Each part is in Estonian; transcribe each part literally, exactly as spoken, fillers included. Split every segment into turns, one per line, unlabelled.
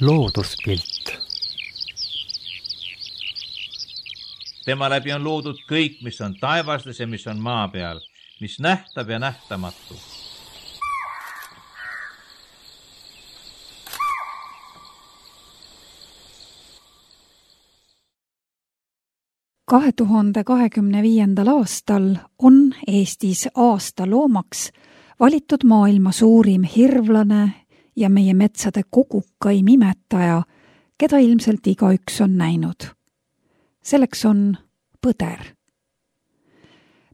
looduspilt.
Tema läbi on loodud kõik, mis on taevastes ja mis on maa peal, mis nähtab ja nähtamatu.
kahe tuhande kahekümne viiendal aastal on Eestis aasta loomaks valitud maailma suurim hirvlane ja meie metsade kogukaim imetaja, keda ilmselt igaüks on näinud. Selleks on põder.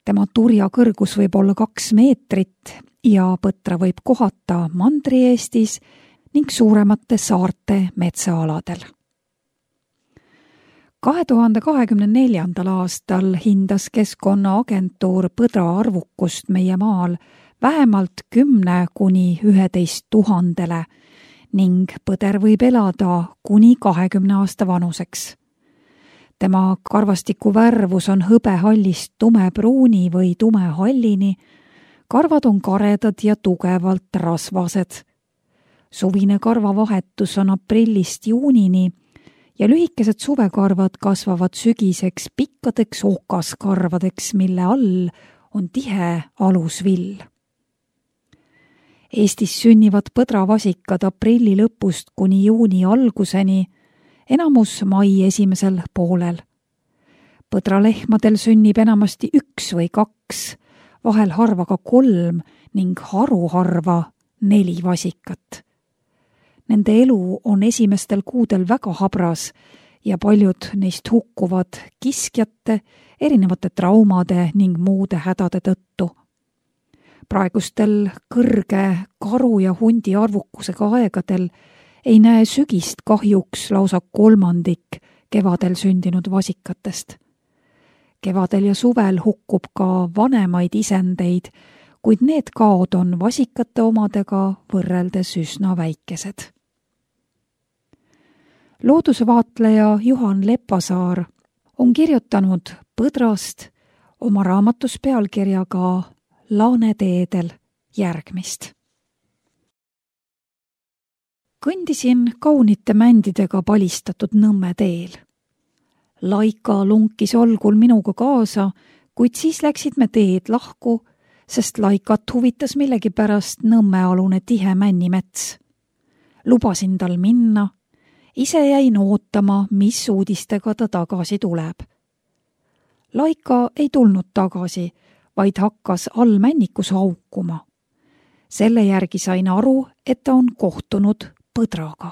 Tema turja kõrgus võib olla kaks meetrit ja põtra võib kohata Mandri-Eestis ning suuremate saarte metsaaladel. kahe tuhande kahekümne neljandal aastal hindas Keskkonnaagentuur põdra arvukust meie maal vähemalt kümne kuni üheteist tuhandele ning põder võib elada kuni kahekümne aasta vanuseks. Tema karvastiku värvus on hõbehallist tumepruuni või tumehallini, karvad on karedad ja tugevalt rasvased. Suvine karvavahetus on aprillist juunini ja lühikesed suvekarvad kasvavad sügiseks pikkadeks okaskarvadeks, mille all on tihe alusvill. Eestis sünnivad põdravasikad aprilli lõpust kuni juuni alguseni, enamus mai esimesel poolel. Põdralehmadel sünnib enamasti üks või kaks, vahel harva ka kolm ning haruharva neli vasikat. Nende elu on esimestel kuudel väga habras ja paljud neist hukkuvad kiskjate, erinevate traumade ning muude hädade tõttu. Praegustel kõrge karu ja hundi arvukusega aegadel ei näe sügist kahjuks lausa kolmandik kevadel sündinud vasikatest. Kevadel ja suvel hukkub ka vanemaid isendeid, kuid need kaod on vasikate omadega võrreldes üsna väikesed. Loodusvaatleja Juhan Lepasaar on kirjutanud põdrast oma raamatus pealkirjaga Laaneteedel järgmist. Kõndisin kaunite mändidega palistatud Nõmme teel. Laika lunkis algul minuga kaasa, kuid siis läksid me teed lahku, sest Laikat huvitas millegipärast Nõmmealune tihe männimets. Lubasin tal minna, ise jäin ootama, mis uudistega ta tagasi tuleb. Laika ei tulnud tagasi, vaid hakkas all männikus haukuma. Selle järgi sain aru, et ta on kohtunud põdraga.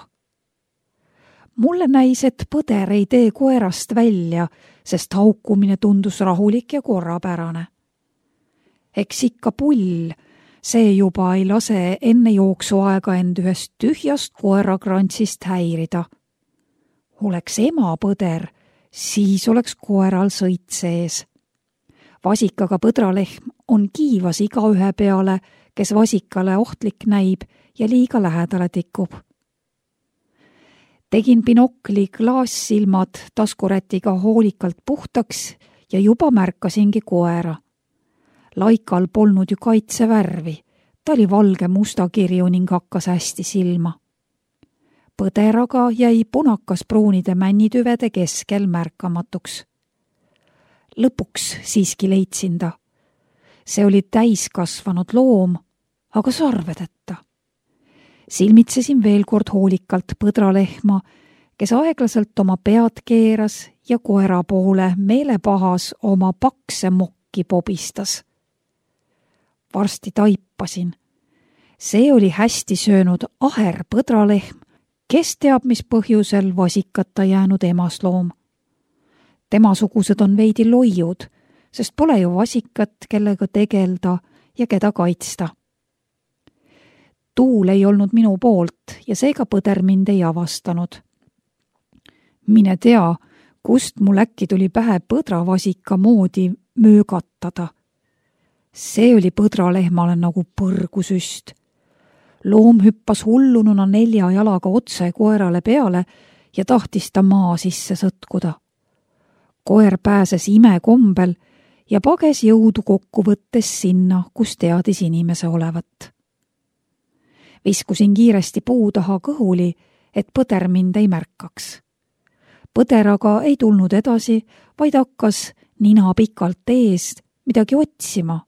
Mulle näis, et põder ei tee koerast välja, sest haukumine tundus rahulik ja korrapärane. Eks ikka pull, see juba ei lase enne jooksuaega end ühest tühjast koerakrantsist häirida. Oleks ema põder, siis oleks koeral sõit sees. Vasikaga põdralehm on kiivas igaühe peale, kes vasikale ohtlik näib ja liiga lähedale tikub. Tegin binokli klaassilmad taskurätiga hoolikalt puhtaks ja juba märkasingi koera. Laikal polnud ju kaitsevärvi, ta oli valge mustakirju ning hakkas hästi silma. Põderaga jäi punakas pruunide männitüvede keskel märkamatuks. Lõpuks siiski leidsin ta. See oli täiskasvanud loom, aga sarvedeta. Silmitsesin veel kord hoolikalt põdralehma, kes aeglaselt oma pead keeras ja koera poole meelepahas oma pakse mokki pobistas. Varsti taipasin. See oli hästi söönud aher põdralehm, kes teab mis põhjusel vasikata jäänud emasloom. Temasugused on veidi loiud, sest pole ju vasikat, kellega tegelda ja keda kaitsta. Tuul ei olnud minu poolt ja seega põder mind ei avastanud. Mine tea, kust mul äkki tuli pähe põdravasika moodi möögatada. See oli põdralehmale nagu põrgusüst. Loom hüppas hullununa nelja jalaga otse koerale peale ja tahtis ta maa sisse sõtkuda. Koer pääses imekombel ja pages jõudu kokku võttes sinna, kus teadis inimese olevat. Viskusin kiiresti puu taha kõhuli, et põder mind ei märkaks. Põder aga ei tulnud edasi, vaid hakkas nina pikalt ees midagi otsima.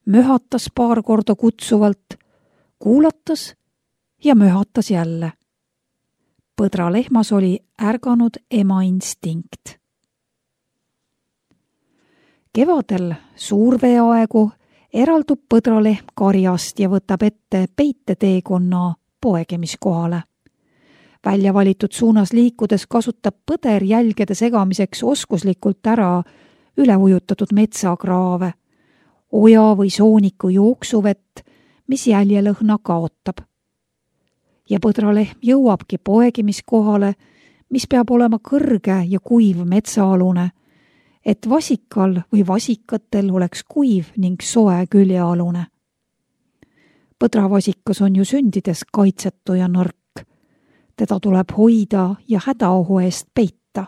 Möhatas paar korda kutsuvalt, kuulatas ja möhatas jälle. Põdra lehmas oli ärganud ema instinkt. Kevadel suurveeaegu eraldub põdralehm karjast ja võtab ette peiteteekonna poegemiskohale. Välja valitud suunas liikudes kasutab põder jälgede segamiseks oskuslikult ära üleujutatud metsakraave, oja või sooniku jooksuvett, mis jäljelõhna kaotab. Ja põdralehm jõuabki poegimiskohale, mis peab olema kõrge ja kuiv metsaalune, et vasikal või vasikatel oleks kuiv ning soe küljealune. Põdravasikas on ju sündides kaitsetu ja nõrk. Teda tuleb hoida ja hädaohu eest peita.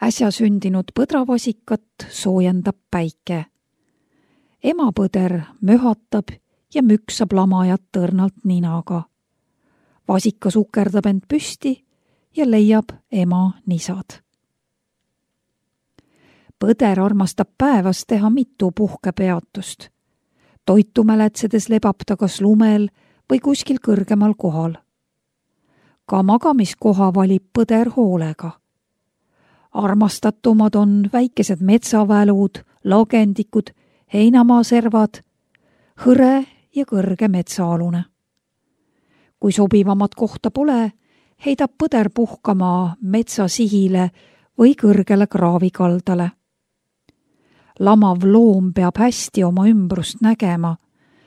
Äsja sündinud põdravasikat soojendab päike. Emapõder möhatab ja müksab lamajat tõrnalt ninaga. Vasika sukerdab end püsti ja leiab ema nisad. Põder armastab päevas teha mitu puhkepeatust. Toitu mäletsedes lebab ta kas lumel või kuskil kõrgemal kohal. Ka magamiskoha valib põder hoolega. Armastatumad on väikesed metsavälud, lagendikud, heinamaaservad, hõre ja kõrge metsaalune. Kui sobivamat kohta pole, heidab põder puhkama metsasihile või kõrgele kraavikaldale. Lamav loom peab hästi oma ümbrust nägema,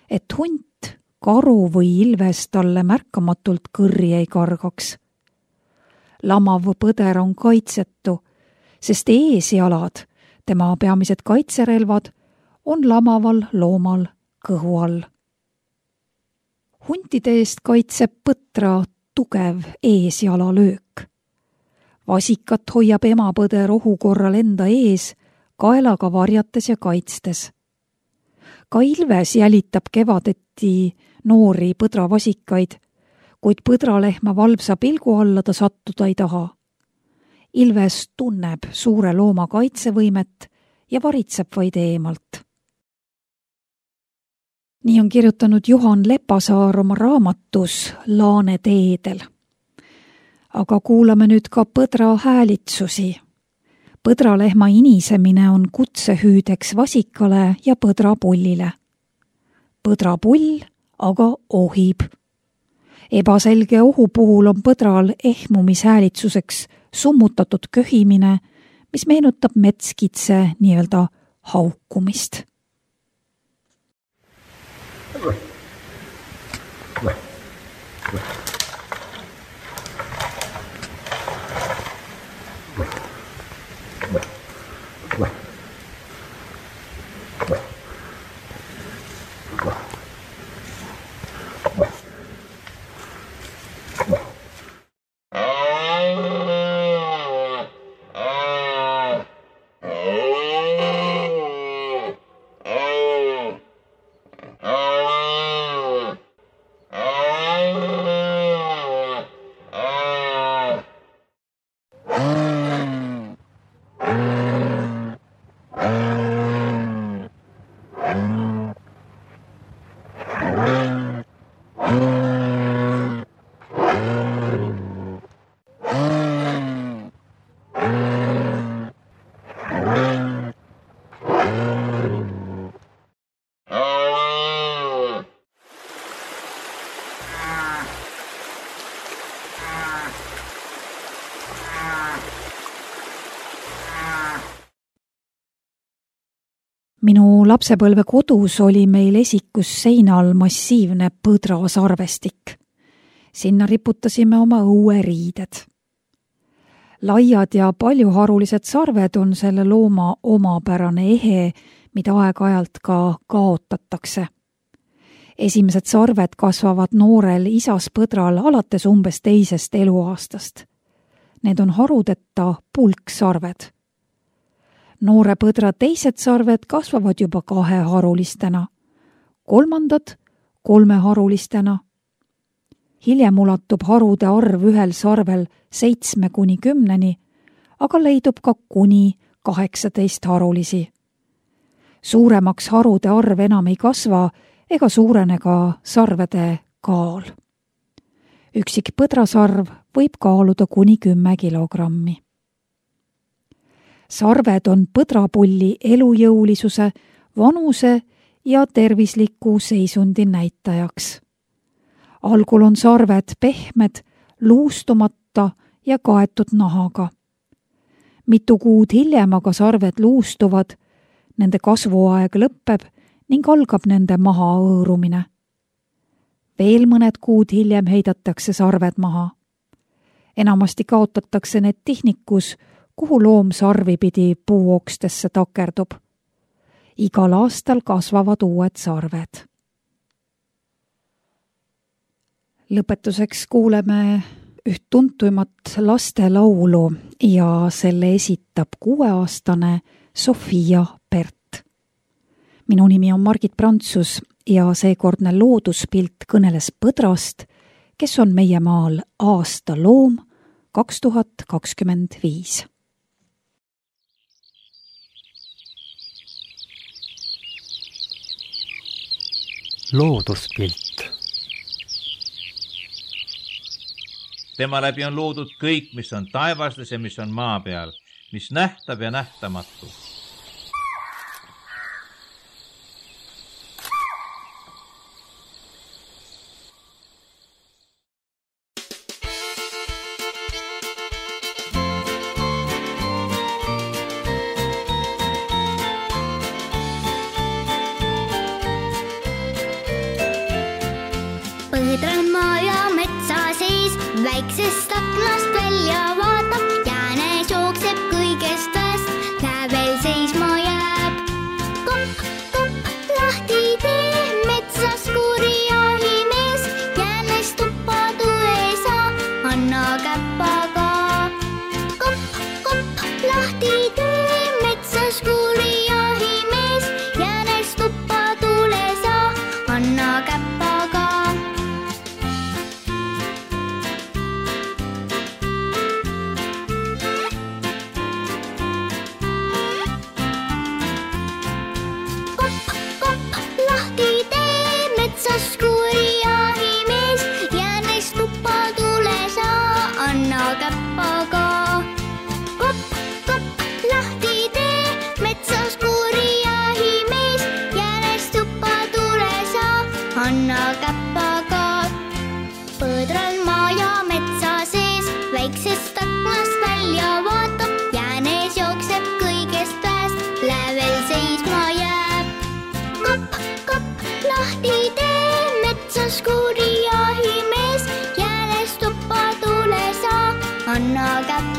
et hunt, karu või ilves talle märkamatult kõrri ei kargaks. Lamav põder on kaitsetu, sest eesjalad, tema peamised kaitserelvad, on lamaval loomal kõhu all. Huntide eest kaitseb põtra tugev eesjala löök. Vasikat hoiab emapõder ohu korral enda ees, kaelaga varjates ja kaitstes. Ka ilves jälitab kevadeti noori põdravasikaid, kuid põdralehma valvsa pilgu alla ta sattuda ei taha. Ilves tunneb suure looma kaitsevõimet ja varitseb vaid eemalt. Nii on kirjutanud Juhan Lepasaar oma raamatus Laane teedel. Aga kuulame nüüd ka põdra häälitsusi. Põdralehma inisemine on kutsehüüdeks vasikale ja põdrapullile. Põdrapull aga ohib. Ebaselge ohu puhul on põdral ehmumishäälitsuseks summutatud köhimine, mis meenutab metskitse nii-öelda haukumist. Minu lapsepõlve kodus oli meil esikus seinal massiivne põdrasarvestik. Sinna riputasime oma õueriided. Laiad ja paljuharulised sarved on selle looma omapärane ehe, mida aeg-ajalt ka kaotatakse. Esimesed sarved kasvavad noorel isas põdral alates umbes teisest eluaastast. Need on harudeta pulksarved. Noore põdra teised sarved kasvavad juba kaheharulistena, kolmandad kolmeharulistena. hiljem ulatub harude arv ühel sarvel seitsme kuni kümneni, aga leidub ka kuni kaheksateist harulisi. Suuremaks harude arv enam ei kasva ega suurene ka sarvede kaal. Üksik põdrasarv võib kaaluda kuni kümme kilogrammi. Sarved on põdrapulli elujõulisuse, vanuse ja tervisliku seisundi näitajaks. Algul on sarved pehmed, luustumata ja kaetud nahaga. Mitu kuud hiljem aga sarved luustuvad, nende kasvuaeg lõpeb ning algab nende maha õõrumine. Veel mõned kuud hiljem heidatakse sarved maha. Enamasti kaotatakse need tihnikus, kuhu loom sarvi pidi puuokstesse takerdub. Igal aastal kasvavad uued sarved. Lõpetuseks kuuleme üht tuntuimat lastelaulu ja selle esitab kuueaastane Sofia Pert. Minu nimi on Margit Prantsus ja seekordne looduspilt kõneles põdrast, kes on meie maal aasta loom kaks tuhat kakskümmend viis.
Looduspilt.
Tema läbi on loodud kõik, mis on taevastes ja mis on maa peal, mis nähtab ja nähtamatu.
Põdran maa ja metsa sees, väiksest aknast välja vaatab, jäänes jookseb kõigest väest, lävel seisma jääb. Kopp, kopp, lahti tee, metsas kuuri jahimees, jäänes tuppa tule saa, anna käppaga. Kopp, kopp, lahti tee, metsas kuuri jahimees, jäänes tuppa tule saa, anna käppaga. Põdral maa ja metsa sees, väiksest aknast välja vaatab, jäänes jookseb kõigest väest, lävel seisma jääb. Kopp, kopp, lahti tee, metsas kuuri jahimees, jäänes tuppa tule saa, anna käppaga.